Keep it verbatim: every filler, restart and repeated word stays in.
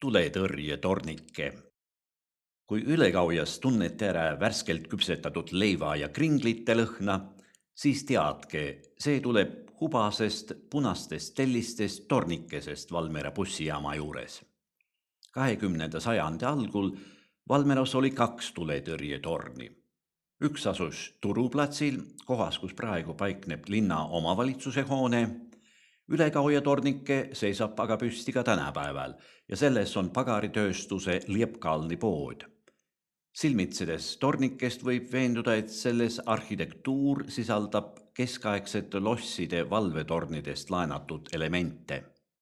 tuletõrjetornike. Kui ülekaujas tunnete ära värskelt küpsetatud leiva ja kringlite lõhna, siis teadke, see tuleb hubasest punastest tellistest tornikesest Valmiera bussijaama juures. kahekümnenda sajandi algul Valmieras oli kaks tuletõrjetorni. Üks asus Turuplatsil, kohas, kus praegu paikneb linna omavalitsuse hoone. Ülekauja tornike seisab aga püsti ka tänapäeval ja selles on pagaritööstuse Liepkalni pood. Silmitsedes tornikest võib veenduda, et selles arhitektuur sisaldab keskaegsete losside valvetornidest laenatud elemente.